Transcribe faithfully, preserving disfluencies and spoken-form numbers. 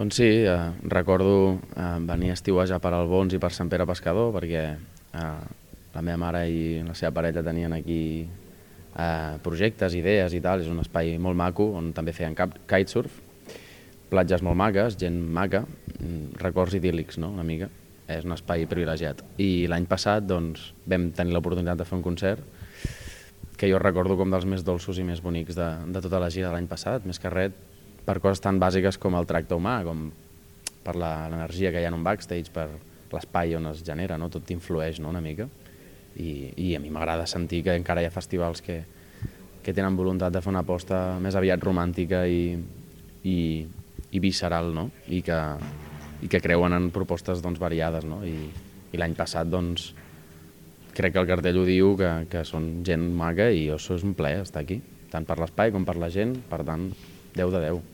Doncs sí, eh, recordo eh, venir a estiuejar per Albons i per Sant Pere Pescador perquè eh, la meva mare i la seva parella tenien aquí eh, projectes, idees i tal. És un espai molt maco on també feien cap, kitesurf, platges molt maques, gent maca, mm, records idíl·lics, no?, una mica. És un espai privilegiat. I l'any passat doncs, vam tenir l'oportunitat de fer un concert que jo recordo com dels més dolços i més bonics de, de tota la gira de l'any passat, més que res per coses tan bàsiques com el tracte humà, com per l'energia que hi ha en un backstage, per l'espai on es genera, no? Tot influeix, no?, una mica. I, i a mi m'agrada sentir que encara hi ha festivals que, que tenen voluntat de fer una aposta més aviat romàntica i, i, i visceral, no?, i que, i que creuen en propostes doncs, variades, no? I, i l'any passat doncs, crec que el cartell ho diu, que, que són gent maca i això és un plaer estar aquí, tant per l'espai com per la gent, per tant, deu de deu.